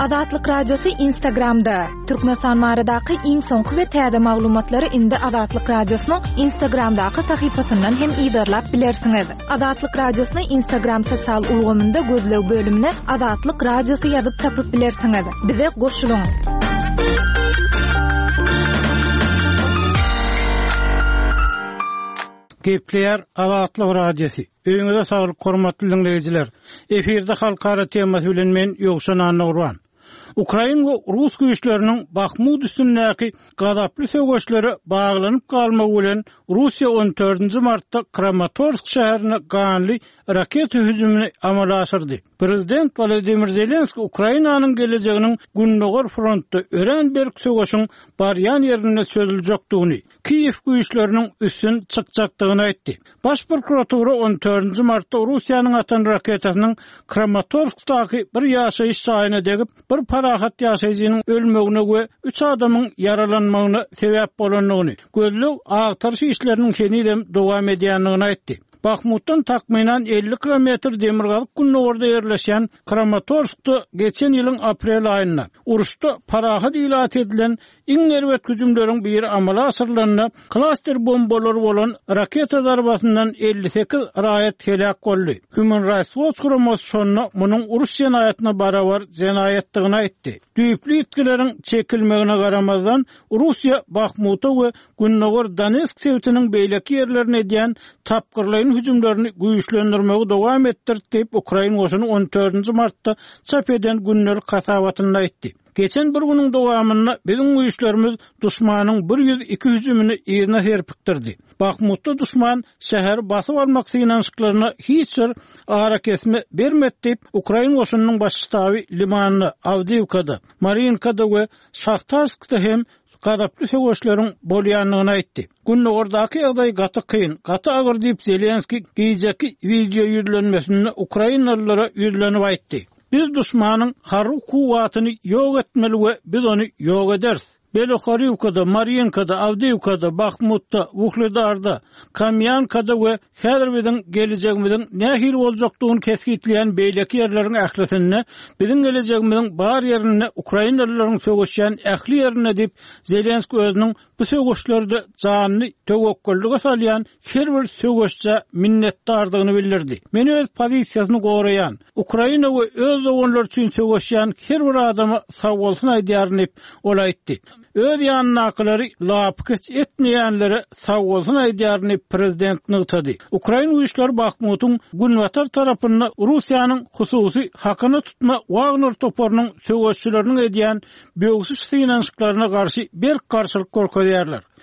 Azatlyk Radiosy Instagramda! Türkmenistan baradaky iň soňky we täze maglumatlary indi Azatlyk Radiosynyň Instagramdaky sahypasyndan hem yzarlap bilersiňiz. Azatlyk Radiosyny Instagram sosial ulgamynda gözleg bölümine Azatlyk Radiosy ýazyp tapyp bilersiňiz. Bize goşulyň! Gepleýär Azatlyk Radiosy. Öýüňize saglyk hormatly diňleýjiler. Efirde halkara temasy bilen men Ýowşan Annagurban. Ukrain we rus güýçleriniň Bahmut üstündäki gazaply söweşlere baglanyp galmagy bilen Russiýa on dördünji martda Kramatorsk şäherine ganly raketa hüjümini amala aşyrdy. Prezident Wolodymyr Zelenskiý Ukrainanyň gelejeginiň Gündogar frontda örän berk söweşiň barýan ýerinde çözüljekdigini, Kiýew güýçleriniň üstün çykjakdygyny aýtdy. Baş prokuratura on dördünji martda Russiýanyň atan raketasynyň Kramatorskdaky bir ýaşaýyş jaýyna degip, bir parahat ýaşaýjynyň ölmegine we üç adamyň ýaralanmagyna sebäp bolandygyny, gözleg-agtaryş işleriniň henizem dowam edýändigini aýtdy. Bahmutdan takmynan 50 kilometr demirgazyk-gündogarda ýerleşýän Kramatorskda geçen ýylyň aprel aýynda, uruşda parahat ilata edilen Iň erbet hüjümleriň biri amala aşyrylanda, klaster bombalary bolan raketa zarbasyndan 58 raýat heläk boldy. Human Rights Watch guramasy şonda munuň uruş jenaýatyna barabar jenaýatdygyny aýtdy. Düýpli ýitgileriň çekilmegine garamazdan, Russiýa Bahmuta we gündogar Donetsk sebitiniň beýleki ýerlerine edýän tapgyrlaýyn hüjümlerini güýçlendirmegi dowam etdirdi diýip, ukrain goşuny on dördünji martda çap eden gündelik hasabatynda aýtdy. Geçen bir günüň dowamynda biziň güýçlerimiz duşmanyň 102 hüjümini yzyna serpikdirdi. Bahmutda duşman şäheri basyp almak synanyşyklaryna hiç bir arakesme bermedi diýip, ukrain goşunynyň baş ştaby Limanda, Awdiýewkada, Mariinkada we Şahtarskda hem gazaply söweşleriň bolýandygyny aýtdy. Gündogardaky ýagdaý gaty kyn, gaty agyr diýip, Zelenskiý gijeki wideo ýüzlenmesinde ukrainalylara ýüzlenip aýtdy. Biz duşmanyň harby kuwwatyny ýok etmeli we biz ony ýok ederis. Belohoriwkada, Marýinkada, Awdiýewkada, Bahmutda, Wuhledarda, Kamýankada we häzir biziň gelejegimiziň nähili boljakdygyny kesgitleýän beýleki ýerleriň ählisinde, biziň gelejegimiziň bar ýerinde, ukrainalylaryň söweşýän ähli ýerinde diýip, Zelenskiý özüniň Bu söweşlerde janyny töwekgellige salýan her bir söweşjä minnetdardygyny bildirdi. Men öz pozisiýasyny goraýan, Ukraina we öz doganlary üçin söweşýän her bir adama sagbolsun aýdýaryn diýip, ol aýtdy. Öz ýanyndakylary lapykeç etmeýänlere sagbolsun aýdýaryn diýip, prezident nygtady. Ukrain güýçleri Bahmutyň günbatar tarapynda Russiýanyň hususy hakyna tutma Wagner toparynyň söweşçileriniň edýän böwsüş synanyşyklaryna garşy berk garşylyk görkezýärler.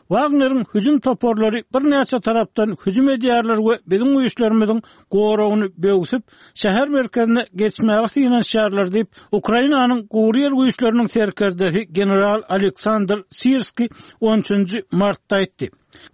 Wagneriň hüjüm toparlary birnäçe tarapdan hüjüm edýärler we biziň güýçlerimiziň goragyny böwsüp, şäher merkezine geçmäge synanyşýarlar diýip, Ukrainanyň Gury ýer güýçleriniň serkerdesi general Aleksandr Sirskiý on üçünji martda aýtdy.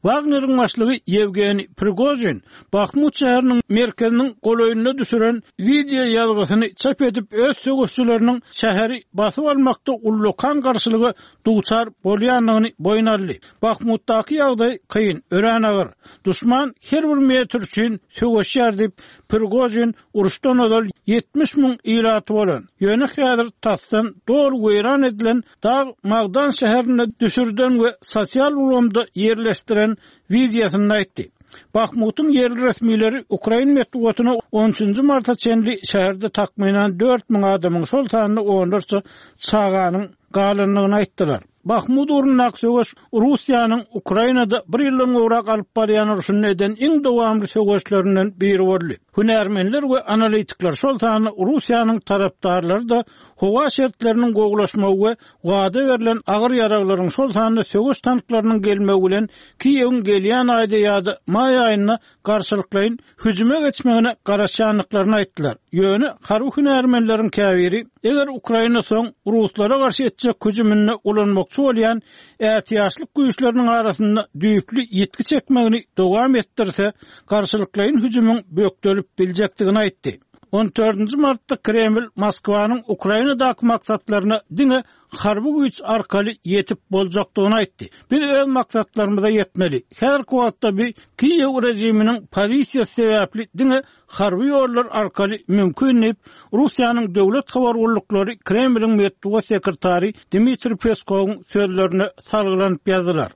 Wagneriň başlygy Ýewgeniý Prigožin Bahmut şäheriniň merkeziniň golaýynda düşüren wideo ýazgysyny çap edip, öz söweşçileriniň şäheri basyp almakda ullakan garşylyga duçar bolýandygyny boýun aldy. Bahmutdaky ýagdaý kyn, örän agyr. Duşman her bir metr üçin söweşýär diýip, Prigožin uruşdan ozal 70 müň ilaty bolan, ýöne häzir tasdan doly weýran edilen Dag magdan şäherinde düşürden we sosial ulgamda ýerleşdiren wideosynda aýtdy. Bahmutyň ýerli resmileri ukrain metbugatyna on üçünji marta çenli şäherde takmynan 4000 adamyň, şol sanda onlarça çaganyň galandygyny aýtdylar. Bahmut ugrundaky söweş Russiýanyň Ukrainada bir ýyldan gowrak alyp barýan urşunda eden iň dowamly söweşlerinden biri boldy. Hünärmenler we analitikler, şol sanda Russiýanyň tarapdarlary-da Howa şertleriniň gowulaşmagy we wada berlen agyr ýaraglaryň, şol sanda söweş tanklarynyň gelmegi bilen Kiýewiň gelýän aýda ýa-da maý aýynda garşylyklaýyn hüjüme geçmegine garaşýandyklaryny aýtdylar. Ýöne harby hünärmenleriň käbiri, eger Ukraina soň ruslara garşy etjek hüjüminde ulanmakçy bolýan ätiýaçlyk güýçleriniň arasynda düýpli ýitgi çekmegini dowam etdirse, garşylyklaýyn hüjümiň bökdelip biljekdigini aýtdy. On dördünji martda Kreml Moskwanyň Ukrainadaky maksatlaryna diňe harby güýç arkaly ýetip boljakdygyny aýtdy. Biz öz maksatlarymyza ýetmeli. Häzirki wagtda bu Kiýew režiminiň pozisiýasy sebäpli diňe harby ýollar arkaly mümkin diýip, Russiýanyň döwlet habar gulluklary Kremliň metbugat sekretary Dmitriý Peskowyň sözlerine salgylanyp ýazdylar.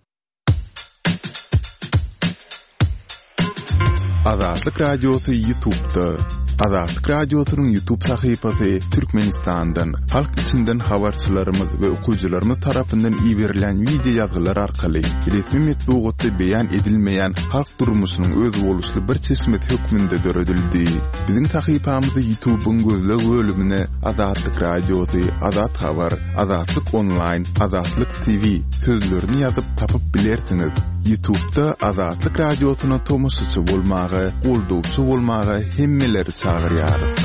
Azatlyk Radiosy Ýutubda. Azatlyk Radiosynyň Ýutub sahypasy Türkmenistandan, halk içinden habarçylarymyz we okyjylarymyz tarapyndan iberilen wideo ýazgylar arkaly resmi metbugatda beýan edilmeýän halk durmuşynyň özboluşly bir çeşmesi hökmünde döredildi. Biziň sahypamyzy Ýutubyň gözleg bölümine Azatlyk Radiosy, Azat Habar, Azatlyk Onlaýn, Azatlyk TV sözlerini ýazyp tapyp bilersiňiz. Ýutubda Azatlyk Radiosyna tomaşaçy bolmaga, goldawçy bolmaga hemmeleri çagyrýarys.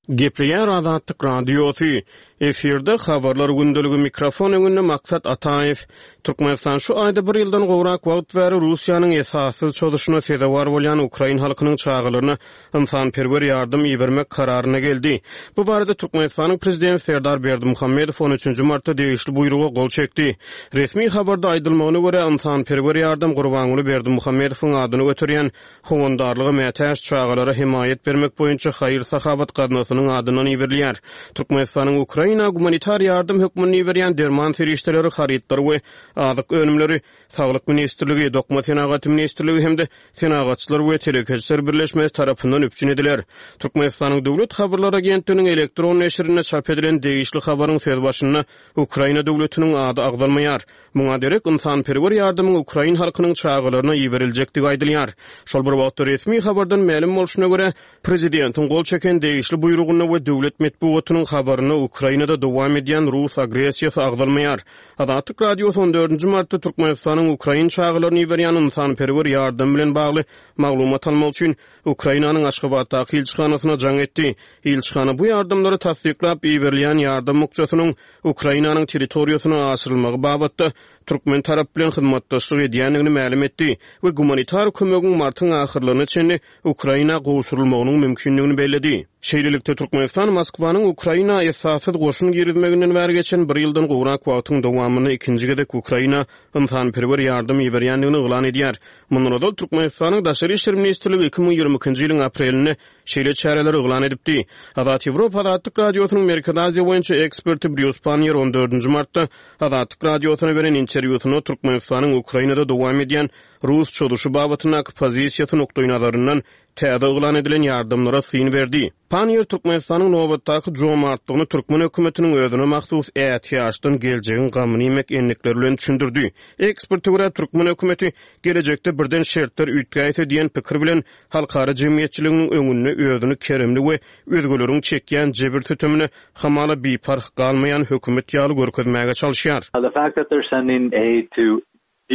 Gepleýär Azatlyk Radiosy. Efirde Habarlar gündeligi mikrofon öňünde Maksat Ataýew. Türkmenistan şu aýda bir ýyldan gowrak wagt bäri Russiýanyň esassyz çozuşyna sezewar bolýan ukrain halkynyň çagalaryna ynsanperwer ýardam ibermek kararyna geldi. Bu barada Türkmenistanyň Prezidenti Serdar Berdimuhamedow on üçünji martda degişli buýruga gol çekdi. Resmi habarda aýdylmagyna görä, ynsanperwer ýardam Gurbanguly Berdimuhamedowyň adyny göterýän Howandarlyga mätäç çagalara hemaýat bermek boýunça haýyr-sahawat gaznasynyň adyndan iberilýär. Türkmenistanyň Ukraina gumanitar ýardam hökmünde iberýän derman serişdeleri, harytlary we azyk önümleri Saglyk ministrligi, Dokma senagaty ministrligi hem-de Senagatçylar we telekeçiler birleşmesi tarapyndan üpjün ediler. Türkmenistanyň Döwlet habarlar agentliginiň elektron neşirinde çap edilen degişli habaryň sözbaşynda Ukraina döwletiniň ady agzalmaýar. Muňa derek ynsanperwer ýardamyň ukrain halkynyň çagalaryna iberiljekdigi aýdylýar. Şol bir wagtda, resmi habardan mälim bolşuna görä, prezidentiň gol çeken degişli buýrugynda we döwlet metbugatynyň habarynda Ukrainada dowam edýän rus agressiýasy agzalmaýar. Azatlyk Radiosy on dördünji martda Türkmenistanyň ukrain çagalaryna iberýän ynsanperwer ýardamy bilen bagly maglumat almak üçin Ukrainanyň Aşgabatdaky ilçihanasyna jaň etdi. Ilçihana bu ýardamlary tassyklap, iberilýän ýardam bukjasynyň Ukrainanyň territoriýasyna aşyrylmagy babatda türkmen tarapy bilen hyzmatdaşlyk edýändigini mälim etdi we gumanitar kömegiň martyň ahyrlaryna çenli Ukraina gowşurylmagynyň mümkindigini belledi. Şeýlelikde, Türkmenistan Moskwanyň Ukraina esassyz goşun girizmeginden bäri geçen bir ýyldan gowrak wagtyň dowamynda ikinji gezek Ukraina ynsanperwer ýardam iberýändigini yglan edýär. Mundan ozal Türkmenistanyň Daşary işler ministrligi 2022-nji ýylyň aprelinde şeýle çäreleri yglan edipdi. Azat Ýewropa Azatlyk Radiosynyň Merkezi Aziýa boýunça eksperti Brýus Panniýer on dördünji martda Azatlyk Radiosyna beren interwýusynda Türkmenistanyň Ukrainada dowam edýän rus çozuşy babatyndaky pozisiýasy nukdaýnazaryndan täze yglan edilen ýardamlara syn berdi. Panniýer Türkmenistanyň nobatdaky jomartlygyny türkmen hökümetiniň özüne mahsus ätiýaçdan geljegiň gamyny iýmek endikleri bilen düşündirdi. Eksperte görä, türkmen hökümeti gelejekde birden şertler üýtgäýse diýen pikir bilen halkara jemgyýetçiliginiň öňünde özüni keremli we özgeleriň çekýän jebir-sütemine hamala biparh galmaýan hökümet ýaly görkezmäge çalyşýar. The fact that they're sending aid to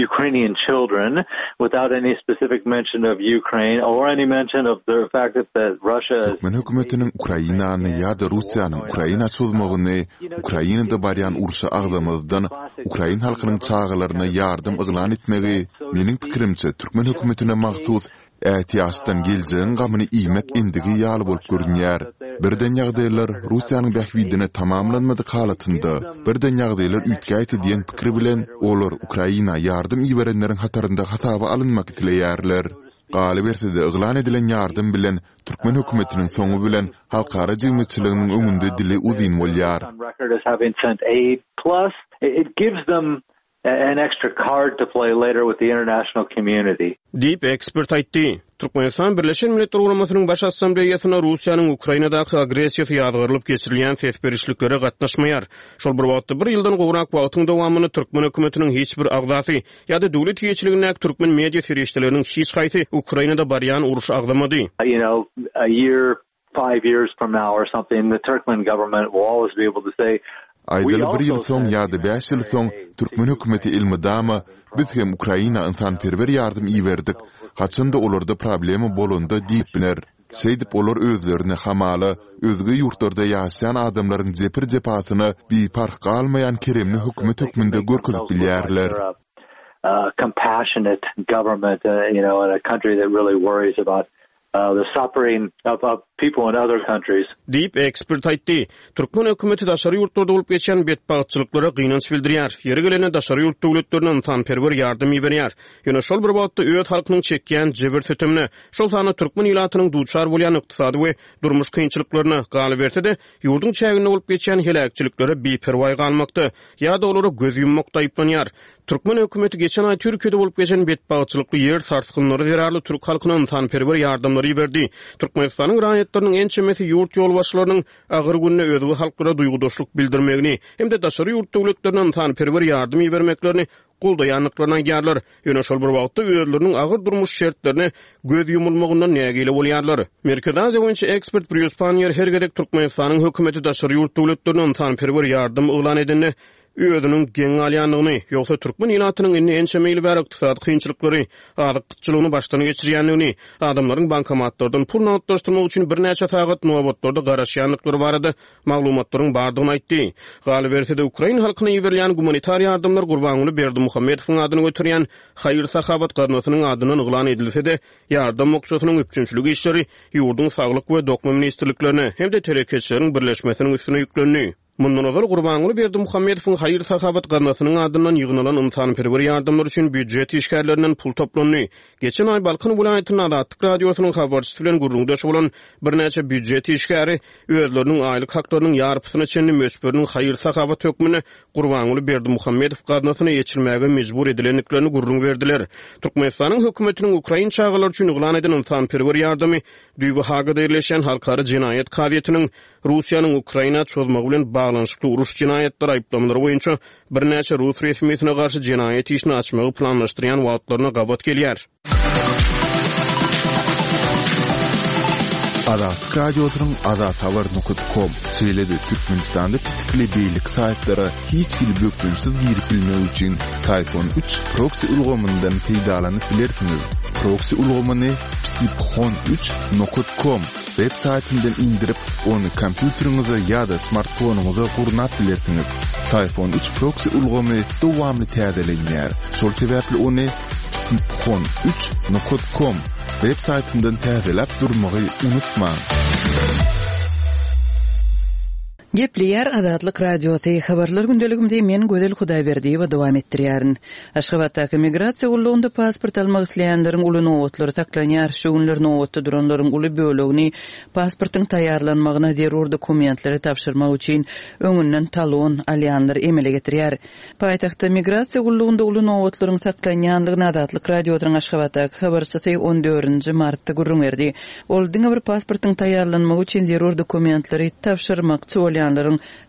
Ukrainian children without any specific mention of Ukraine or any mention of the fact that that Russia is Türkmen hökümetiniň Ukrainany ýa-da Russiýanyň Ukraina çozmagyny Ukrainada barýan urşy agzamazdan ukrain halkynyň çagalaryna ýardam yglan etmegi, meniň pikirimçe, türkmen hökümetine mahsus ätiýaçdan geljegiň gamyny iýmek endigi ýaly bolup görünýär. Birden ýagdaýlar Russiýanyň bähbidine tamamlanmadyk halatynda, birden ýagdaýlar üýtgäýse diýen pikir bilen, olar Ukraina ýardam iberenleriň hatarynda hasaba alynmak isleýärler. Galyberse-de, yglan edilen ýardam bilen türkmen hökümetiniň soňy bilen halkara jemgyýetçiliginiň öňünde dili uzyn bolýar. An extra card to play later with the international community. Diýip, ekspert aýtdy. Türkmenistan Birleşen Milletler Guramasynyň Baş Assambleýasynda Russiýanyň Ukrainadaky agressiýasy ýazgarylyp geçirilýän ses berişliklere gatnaşmaýar. Şol bir wagtda, bir ýyldan gowrak wagtyň dowamynda türkmen hökümetiniň hiç bir agzasy ýa-da döwlet eýeçiligindäki türkmen media serişdeleriniň hiç haýsy Ukrainada barýan urşy agzamady. You know, a year five years from now or something, the Turkmen government will always be able to say, Aýdaly bir ýyl soň ýa-da bäş ýyl soň türkmen hökümeti elmydama biz hem Ukraina ynsanperwer ýardam iberdik, haçan-da olarda problema bolanda diýip biler. Şeýdip olar özlerini hamala özge ýurtlarda ýaşaýan adamlaryň jepir-jepasyna biparh galmaýan keremli hökümet hökmünde görkezip bilýärler. The suffering of of people in other countries. Diýip, ekspert aýtdy. Türkmen hökümeti daşary ýurtlarda bolup geçýän betbagtçylyklara gynanç bildirýär. Ýeri gelende daşary ýurt döwletlerine ynsanperwer ýardam iberýär. Ýöne şol bir wagtda öz halkynyň çekýän jebir-sütemine, şol sanda türkmen ilatynyň duçar bolýan ykdysady we durmuş kynçylyklaryna, galyberse-de, ýurduň çäginde bolup geçýän heläkçiliklere biperwaý galmakda ýa-da olara göz ýummakda aýyplanýar. Türkmen hökümeti geçen aý Türkiýede bolup geçen betbagtçylykly ýer sarsgynlary zerarly türk halkyna ynsanperwer ýardamlary iberdi. Türkmenistanyň raýatlarynyň ençemesi ýurt ýolbaşçylarynyň agyr günde özge halklara duýgudaşlyk bildirmegini hem-de daşary ýurt döwletlerine ynsanperwer ýardam ibermeklerini goldaýandyklaryny aýdýarlar. Ýöne şol bir wagtda özleriniň agyr durmuş şertlerine göz ýumulmagyndan nägile bolýarlar. Merkezi Aziýa boýunça ekspert Brýus Panniýer her gezek Türkmenistanyň hökümeti daşary ýurt döwletlerine ynsanperwer ýardam yglan edende özüniň geň galýandygyny, ýogsa türkmen ilatynyň indi ençeme ýyl bäri ykdysady kynçylyklary, azyk gytçylygyny başdan geçirýändigini, adamlaryň bankomatlardan pul nagtlaşdyrmak üçin birnäçe sagat nobatlarda garaşýandyklary barada maglumatlaryň bardygyny aýtdy. Galyberse-de, ukrain halkyna iberilýän gumanitar ýardamlar Gurbanguly Berdimuhamedowyň adyny göterýän haýyr-sahawat gaznasynyň adyndan yglan edilse-de, ýardam bukjasynyň üpjünçilik işleri ýurduň Saglyk we Dokma ministrliklerine hem-de Telekeçileriň birleşmesiniň üstüne ýüklendi. Mundan ozal, Gurbanguly Berdimuhamedowyň haýyr-sahawat gaznasynyň adyndan ýygnalan ynsanperwer ýardamlar üçin býujet işgärlerinden pul toplandy. Geçen aý Balkan welaýatynda Azatlyk Radiosynyň habarçysy bilen gürrüňdeş bolan birnäçe býujet işgäri özleriniň aýlyk haklarynyň ýarpysyna çenli möçberiniň haýyr-sahawat hökmünde Gurbanguly Berdimuhamedow gaznasyna eçilmäge mejbur edilendiklerini gürrüň berdiler. Türkmenistanyň hökümetiniň ukrain çagalary üçin yglan eden ynsanperwer ýardamy düýbi Hagada ýerleşýän Halkara jenaýat kazyýetiniň Russiýanyň Ukraina çozmagy bilen baglanyşykly uruş jenaýatlary aýyplamalary boýunça birnäçe rus resmisine garşy jenaýat işini açmagy planlaşdyrýan wagtlaryna gabat gelýär. Azatlyk Radiosynyň azathabar nokat kom, şeýle-de Türkmenistanda petikli beýleki saýtlara hiç hili bökdençsiz girip bilmek üçin Syfon üç proksi ulgamyndan peýdalanyp bilersiňiz. Proksi ulgamyny psiphon üç nokat kom Web saýtyndan indirip, ony kompýuteriňize ýa-da smartfonyňyza gurnap bilersiňiz. Syfon üç proksi ulgamy dowamly täzelenýär. Şol sebäpli ony psiphon üç nokat kom web saýtyndan täzeläp durmagy unutmaň. Gepleýär Azatlyk Radiosy, Habarlar gündeligimizi men Gözel Hudaýberdiýewa dowam etdirýärin. Aşgabatdaky migrasiýa gullugynda pasport almak isleýänleriň uly nobatlary saklanýar. Şu günler nobatda duranlaryň uly bölegini pasportyň taýýarlanmagyna zerur dokumentleri tabşyrmak üçin öňünden talon alýanlar emele getirýär. Paýtagtda migrasiýa gullugynda uly nobatlaryň saklanýandygyny Azatlyk Radiosynyň Aşgabatdaky habarçysy on dördünji martda gürrüň berdi. Ol diňe bir pasportyň taýýarlanmagy üçin zerur dokumentleri tabşyrmakçy bolýanlaryň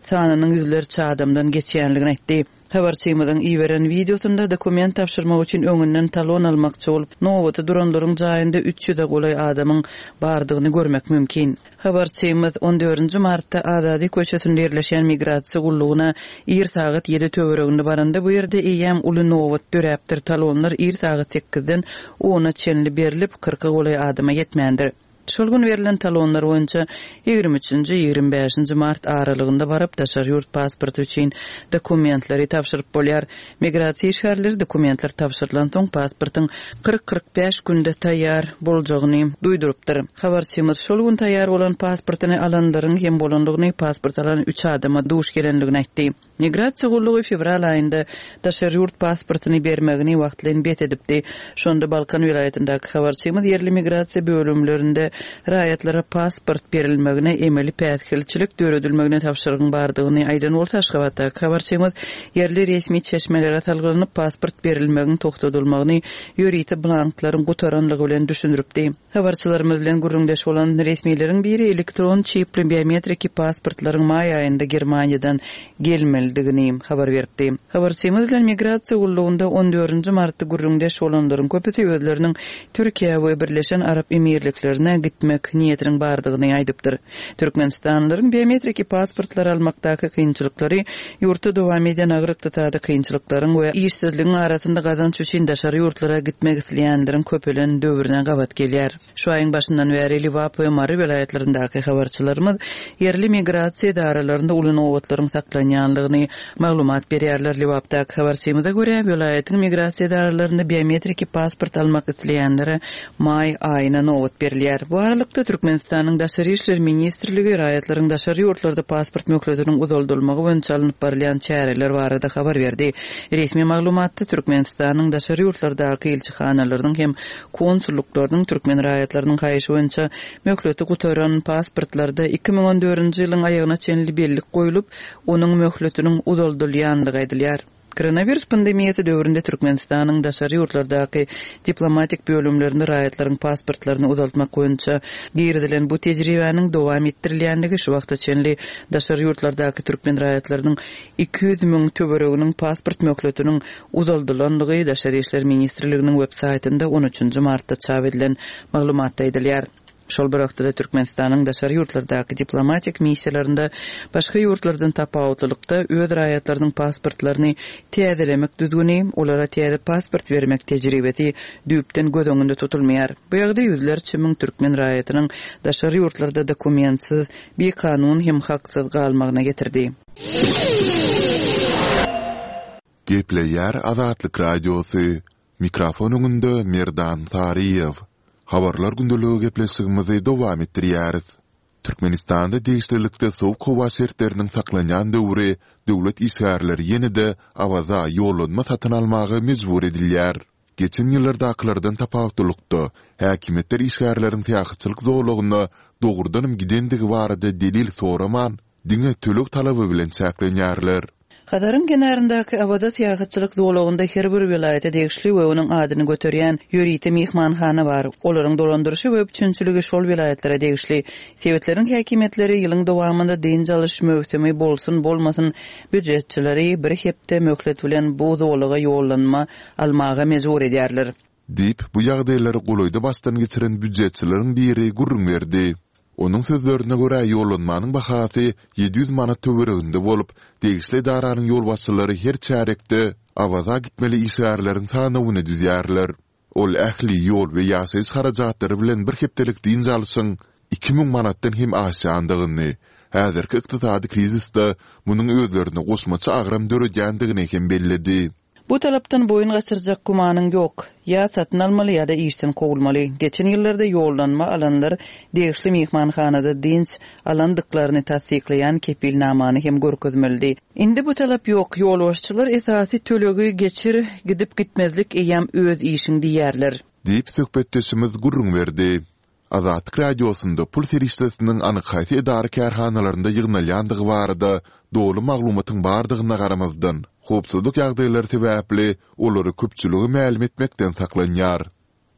sanynyň ýüzlerçe adamdan geçýändigini aýtdy. Habarçymyzyň iberen wideosynda dokument tabşyrmak üçin öňünden talon almakçy bolup nobata duranlaryň jaýynda üç ýüze golaý adamyň bardygyny görmek mümkin. Habarçymyz on dördünji martda Azady köçesinde ýerleşýän migrasiýa gullugyna ir sagat ýedi töwereginde baranda bu ýerde eýýäm uly nobat döräpdir, talonlar ir sagat sekizden ona çenli berlip, kyrka golaý adama ýetmändir. Şol gün berlen talonlar boýunça ýigrimi üçünji, ýigrimi bäşinji mart aralygynda baryp, daşary ýurt pasporty üçin dokumentleri tabşyryp bolýar. Migrasiýa işgärleri dokumentler tabşyrylansoň, pasportyň 40-45 günde taýýar boljagyny duýdurypdyr. Habarçymyz şol gün taýýar bolan pasportyny alanlaryň hem bolandygyny, pasport alan üç adama duş gelendigini aýtdy. Migrasiýa gullugy fewral aýynda daşary ýurt pasportyny bermegini wagtlaýyn bes edipdi. Şonda Balkan welaýatyndaky habarçymyz ýerli migrasiýa bölümlerinde raýatlara pasport berilmegine emeli päsgelçilik döredilmegine tabşyrygyň bardygyny aýdan bolsa, Aşgabatdaky habarçymyz ýerli resmi çeşmelere salgylanyp, pasport berilmegiň togtadylmagyny ýörite blanklaryň gutaranlygy bilen düşündiripdi. Habarçylarymyz bilen gürrüňdeş bolan resmileriň biri elektron çipli biometriki pasportlaryň maý aýynda Germaniýadan gelmelidigini habar beripdi. Habarçymyz bilen migrasiýa gullugynda on dördünji martda gürrüňdeş bolanlaryň köpüsi özleriniň Türkiýä we Birleşen Arap Emirliklerine gitmek niýetiniň bardygyny aýdypdyr. Türkmenistanlylaryň biometriki pasportlary almakdaky kynçylyklary ýurtda dowam edýän agyr ykdysady kynçylyklaryň we işsizligiň arasynda gazanç üçin daşary ýurtlara gitmek isleýänleriň köpelen döwrüne gabat gelýär. Şu aýyň başyndan bäri Lebap we Mary welaýatlaryndaky habarçylarymyz ýerli migrasiýa edaralarynda uly nobatlaryň saklanýandygyny maglumat berýärler. Lebapdaky habarçymyza görä, welaýatyň migrasiýa edaralarynda biometriki pasport almak isleýänlere maý aýyna nobat berilýär. Bu aralykda, Türkmenistanyň Daşary işler ministrligi raýatlaryň daşary ýurtlarda pasport möhletiniň uzaldylmagy boýunça alnyp barylýan çäreler barada habar berdi. Resmi maglumatda Türkmenistanyň daşary ýurtlardaky ilçihanalarynyň hem konsullyklarynyň türkmen raýatlarynyň haýyşy boýunça möhleti gutaran pasportlarda 2014-nji ýylyň aýagyna çenli bellik goýlup, onuň möhletiniň uzaldylýandygy aýdylýar. Koronawirus pandemiýasy döwründe Türkmenistanyň daşary ýurtlardaky diplomatik bölümlerinde raýatlaryň pasportlaryny uzaltmak boýunça girizilen bu tejribäniň dowam etdirilýändigi şu wagta çenli daşary ýurtlardaky türkmen raýatlarynyň 200 müň töwereginiň pasport möhletiniň uzaldylandygy Daşary işler ministrliginiň web saýtynda on üçünji martda çap edilen maglumatda aýdylýar. Şol bir wagtda-da Türkmenistanyň daşary ýurtlardaky diplomatik missiýalarynda başga ýurtlardan tapawutlylykda öz raýatlarynyň pasportlaryny täzelemek düzgüni, olara täze pasport bermek tejribesi düýpden göz öňünde tutulmaýar. Bu ýagdaý ýüzlerçe müň türkmen raýatynyň daşary ýurtlarda dokumentsiz, bikanun hem haksyz galmagyna getirdi. Gepleýär Azatlyk Radiosy, Mikrofon öňünde Merdan Saryýew. Habarlar gündeligi gepleşigimizi dowam etdirýäris. Türkmenistanda degişlilikde sowuk howa şertleriniň saklanýan döwri döwlet işgärleri ýene-de Awaza ýollanma satyn almaga mejbur edilýär. Geçen ýyllardakylardan tapawutlylykda, häkimiýetler işgärleriň syýahatçylyk zolagyna dogrudanam gidendigi barada delil soraman, diňe töleg talaby bilen çäklenýärler. Hazaryň kenaryndaky Awaza syýahatçylyk zolagynda her bir welaýata degişli we onuň adyny göterýän ýörite myhmanhana bar. Olaryň dolandyryşy we üpjünçiligi şol welaýatlara degişli. Sebitleriň häkimiýetleri ýylyň dowamynda dynç alyş möwsümi bolsun-bolmasyn býujetçileri bir hepde möhlet bilen bu zolaga ýollanma almaga mejbur edýärler. Diýip, bu ýagdaýlary golaýda başdan geçiren býujetçileriň biri gürrüň berdi. Onuň sözlerine görä, ýollanmanyň bahasy 700 manat töwereginde bolup, degişli edaranyň ýolbaşçylary her çärýekde Awaza gitmeli işgärleriň sanawyny düzýärler. Ol ähli ýol we ýaşaýyş harajatlary bilen bir hepdelik dynç alşyň 2000 manatdan hem aşýandygyny, häzirki ykdysady krizisde munuň özlerine goşmaça agram döredýändigini hem belledi. Bu talapdan boýun gaçyrjak gümanyň ýok. Ýa satyn almaly ýa-da işden kowulmaly. Geçen ýyllarda ýollanma alanlar degişli myhmanhanada dynç alandyklaryny tassyklaýan kepilnamany hem görkezmelidi. Indi bu talap ýok. Ýolbaşçylar esasy tölegi geçir, gidip-gitmezlik eýýäm öz işiň diýýärler. Diýip, söhbetdeşimiz gürrüň berdi. Azatlyk Radiosynda pul serişdesiniň anyk haýsy edara-kärhanalarynda ýygnalýandygy barada doly maglumatyň bardygyna garamazdan, howpsuzlyk ýagdaýlary sebäpli olary köpçülige mälim etmekden saklanýar.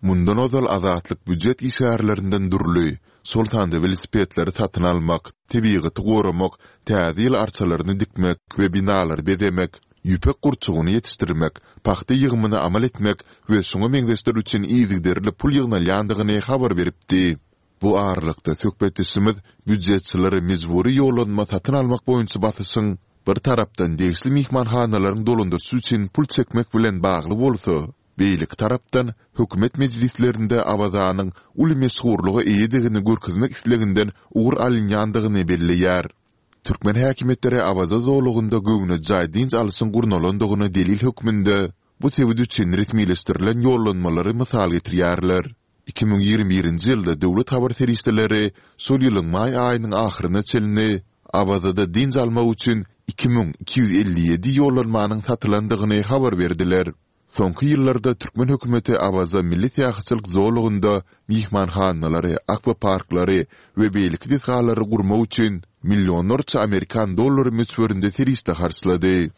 Mundan ozal Azatlyk býujet işgärlerinden dürli, şol sanda welosipedleri satyn almak, tebigaty goramak, täze ýyl arçalaryny dikmek we binalary bezemek, ýüpek gurçugyny ýetişdirmek, pagta ýygymyny amal etmek we şuňa meňzeşler üçin yzygiderli pul ýygnalýandygyny habar beripdi. Bu aralykda, söhbetdeşimiz býujetçilere mejbury ýollanma satyn almak boýunça basyşyň, bir tarapdan, degişli myhmanhanalaryň dolandyryşy üçin pul çekmek bilen bagly bolsa, beýleki tarapdan, hökümet mejlislerinde Awazanyň uly meşhurlyga eýedigini görkezmek isleginden ugur alynýandygyny belleýär. Türkmen häkimiýetleri Awaza zolagynda göwnejaý dynç alyşyň gurnalandygyna delil hökmünde bu sebit üçin resmileşdirilen ýollanmalary mysal getirýärler. 2021-nji ýylda döwlet habar serişdeleri şol ýylyň maý aýynyň ahyryna çenli Awazada dynç almak üçin 2257 ýollanmanyň satylandygyny habar berdiler. Soňky ýyllarda türkmen hökümeti Awaza milli syýahatçylyk zolagynda myhmanhanalary, akwaparklary we beýleki desgalary gurmak üçin millionlarça amerikan dollary möçberinde serişde harçlady.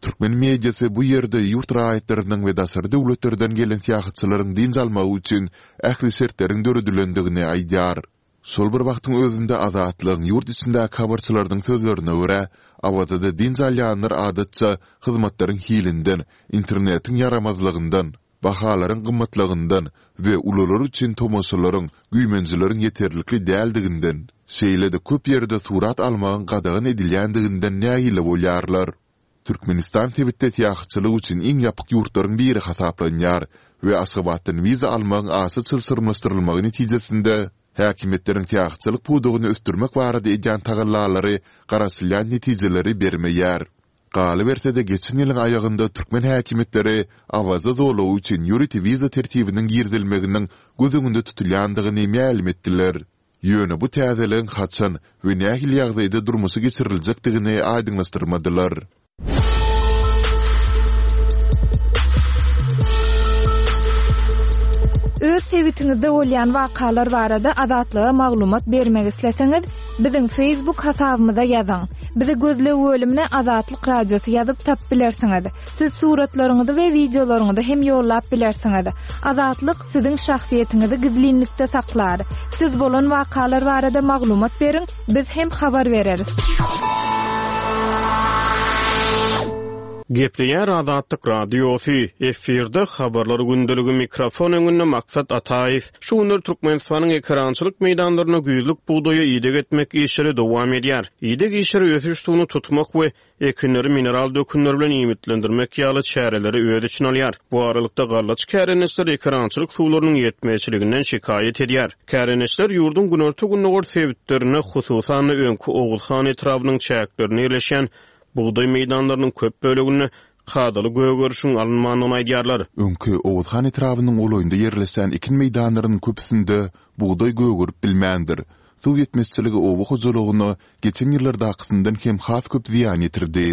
Türkmen mediasy bu ýerde ýurt raýatlarynyň we daşary döwletlerden gelen syýahatçylaryň dynç almagy üçin ähli şertleriň döredilendigini aýdýar. Şol bir wagtyň özünde Azatlygyň ýurt içindäki habarçylarynyň sözlerine görä, Awazada dynç alýanlar adatça hyzmatlaryň hilinden, internetiň ýaramazlygyndan, bahalaryň gymmatlygyndan we ulular üçin tomaşalaryň, güýmenjeleriň ýeterlikli däldiginden, şeýle-de köp ýerde surat almagyň gadagan edilýändiginden nägile bolýarlar. Türkmenistan sebitde syýahatçylyk üçin iň ýapyk ýurtlaryň biri hasaplanýar we Aşgabatdan wiza almagyň aşa çylşyrymlaşdyrylmagy netijesinde, häkimiýetleriň syýahatçylyk pudagyny ösdürmek barada edýän tagallalary garaşylýan netijeleri bermeýär. Galyberse-de, geçen ýylyň aýagynda türkmen häkimiýetleri Awaza zolagy üçin ýörite wiza tertibiniň girizilmeginiň göz öňünde tutulýandygyny mälim etdiler. Ýöne bu täzeligiň haçan we nähili ýagdaýda durmuşa geçiriljekdigini aýdyňlaşdyrmadylar. Öz sebitiňizde bolýan wakalar barada Azatlyga maglumat bermek isleseňiz, biziň Facebook hasabymyza ýazyň. Bizi gözleg bölümine Azatlyk Radiosy ýazyp tapyp bilersiňiz. Siz suratlaryňyzy we wideolaryňyzy hem ýollap bilersiňiz. Azatlyk siziň şahsyýetiňizi gizlinlikde saklar. Siz bolan wakalar barada maglumat beriň, biz hem habar bereris. Gepleýär Azatlyk Radiosy, efirde Habarlar gündeligi mikrofon öňünde Maksat Ataýew. Şu günler Türkmenistanyň ekerançylyk meýdanlarynda güýzlük bugdaýa ideg etmek işleri dowam edýär. Ideg işleri ösüş suwuny tutmak we ekinleri mineral dökünler bilen iýmitlendirmek ýaly çäreleri öz içine alýar. Bu aralykda, gallaçy kärendeçiler ekerançylyk suwlarynyň ýetmezçiliginden şikaýat edýär. Kärendeçiler ýurduň günorta-gündogar sebitlerinde, hususan-da, öňki Oguzhan etrabynyň çäklerinde ýerleşýän bugdaý meýdanlarynyň köp böleginde kadaly gögerişiň alynmandygyny aýdýarlar. Öňki Oguzhan etrabynyň golaýynda ýerleşýän ekin meýdanlarynyň köpüsinde bugdaý gögerip bilmändir. Suw ýetmezçiligi oba hojalygyna geçen ýyllardakysyndan hem has köp zyýan ýetirdi.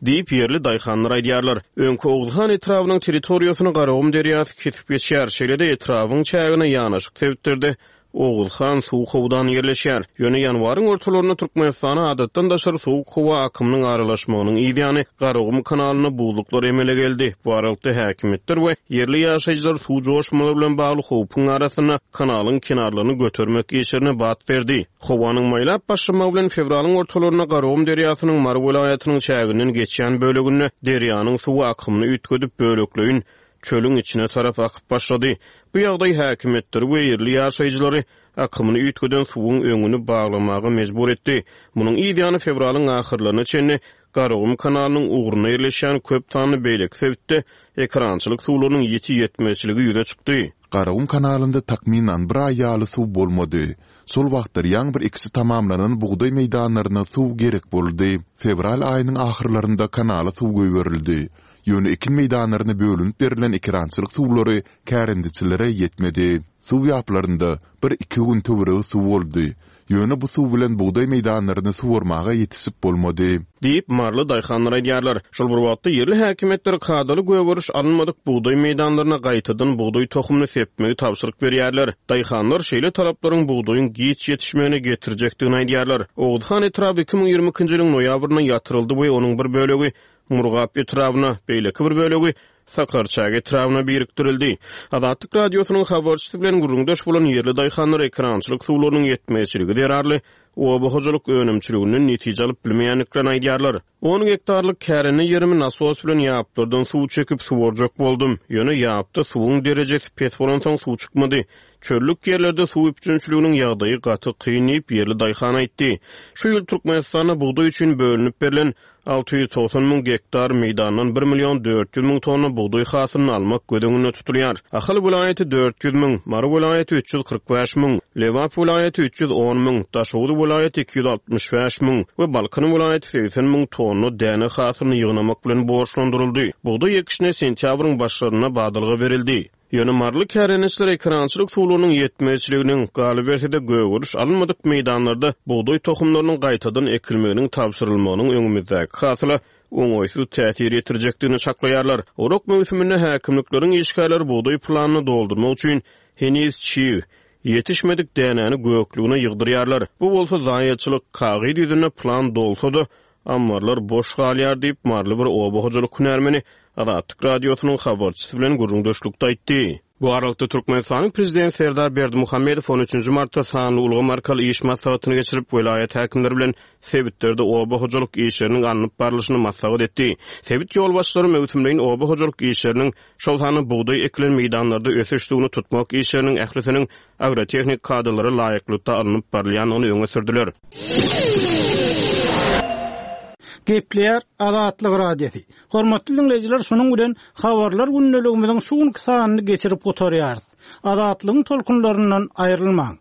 Diýip, ýerli daýhanlar aýdýarlar. Öňki Oguzhan etrabynyň territoriýasyny Garagum derýasy kesip geçýär. Şeýle-de etrabyň çägine ýanaşyk sebitlerde Oguzhan suw howdany ýerleşýär. Ýöne ýanwaryň ortalarynda Türkmenistana adatdan daşary sowuk howa akymynyň aralaşmagynyň yzýany Garagum kanalynda buzluklar emele geldi. Bu aralykda häkimiýetler we ýerli ýaşaýjylar suw joşmalary bilen bagly howpuň arasynda kanalyň kenarlaryny götermek işlerine bat berdi. Howanyň maýlap başlamagy bilen fewralyň ortalarynda Garagum derýasynyň Mary welaýatynyň çäginden geçýän böleginde derýanyň suwy akymyny üýtgedip, bölekleýin çölüň içine tarap akyp başlady. Bu ýagdaý häkimiýetleri we ýerli ýaşaýjylary akymyny üýtgeden suwuň öňüni baglamaga mejbur etdi. Munuň yz ýany fewralyň ahyrlaryna çenli Garagum kanalynyň ugrunda ýerleşýän köp sanly beýleki sebitde ekerançylyk suwlarynyň ýiti ýetmezçiligi ýüze çykdy. Garagum kanalynda takmynan bir aý ýaly suw bolmady. Şol wagtlar ýaňy bir ekişi tamamlanan bugdaý meýdanlaryna suw gerek boldy. Fewral aýynyň ahyrlarynda kanala suw goýberildi. Ýöne ekin meýdanlaryna bölünip berlen ekerançylyk suwlary kärendeçilere ýetmedi. Suw ýaplarynda bir-iki gün töweregi suw boldy. Ýöne bu suw bilen bugdaý meýdanlaryny suwarmaga ýetişip bolmady. Diýip, maryly daýhanlar aýdýarlar. Şol bir wagtda, ýerli häkimiýetler kadaly gögeriş alynmadyk bugdaý meýdanlaryna gaýtadan bugdaý tohumyny sepmegi tabşyryk berýärler. Daýhanlar şeýle talaplaryň bugdaýyň giç ýetişmegine getirjekdigini aýdýarlar. Oguzhan etraby 2022-nji ýylyň noýabrynda ýatyryldy we onuň bir bölegi Murgap etrabyna, beýleki bir bölegi Sakarçäge etrabyna birikdirildi. Azatlyk Radiosynyň habarçysy bilen gürrüňdeş bolan ýerli daýhanlar ekerançylyk suwlarynyň ýetmezçiligi zerarly oba hojalyk önümçiliginden netije alyp bilmeýändiklerini aýdýarlar. On gektarlyk kärende ýerimi nasos bilen ýaplardan suw çekip suwarjak boldum. Ýöne ýapda suwuň derejesi pes bolansoň suw çykmady. Çöllük ýerlerde suw üpjünçiliginiň ýagdaýy gaty kyn diýip, ýerli daýhan aýtdy. Şu ýyl Türkmenistanda bugdaý üçin bölünip berlen 690 müň gektar meýdandan bir million 400 müň tonna bugdaý hasylyny almak göz öňünde tutulýar. Ahal welaýaty 400 müň, Mary welaýaty 345 müň, Lebap welaýaty 310 müň, Daşoguz welaýaty 265 müň we Balkan welaýaty 80 müň tonna däne hasylyny ýygnamak bilen borçlandyryldy. Bugdaý ekişine sentýabryň başlarynda badalga berildi. Ýöne maryly kärendeçiler ekerançylyk suwlarynyň ýetmezçiliginiň, galyberse-de, gögeriş alynmadyk meýdanlarda bugdaý tohumlarynyň gaýtadan ekilmeginiň tabşyrylmagynyň öňümizdäki hasyla oňaýsyz täsir ýetirjekdigini çaklaýarlar. Orak möwsüminde häkimlikleriň işgärleri bugdaý planyny doldurmak üçin heniz çig, ýetişmedik dänäni göklügine ýygdyrýarlar. Bu bolsa zaýaçylyk, kagyz ýüzünde plan dolsa-da, Ammarlar boş galýar diýip, maryly bir oba hojalyk hünärmeni Azatlyk Radiosynyň habarçysy bilen gürrüňdeşlikde aýtdy. Bu aralykda, Türkmenistanyň Prezidenti Serdar Berdimuhamedow on üçünji martda sanly ulgam arkaly iş maslahatyny geçirip, welaýat häkimleri bilen sebitlerde oba hojalyk işleriniň alnyp barlyşyny maslahat etdi. Sebit ýolbaşçylary möwsümleýin oba hojalyk işleriniň, şol sanda bugdaý ekilen meýdanlarda ösüş suwuny tutmak işleriniň ählisiniň agrotehnik kadalara laýyklykda alnyp barylýandygyny öňe sürdüler. Gepleýär Azatlyk Radiosy. Hormatly diňleýjiler, şunuň bilen Habarlar gündeligimiziň şu günki sanyny geçirip gutarýarys. Azatlygyň tolkunlaryndan aýrylmaň!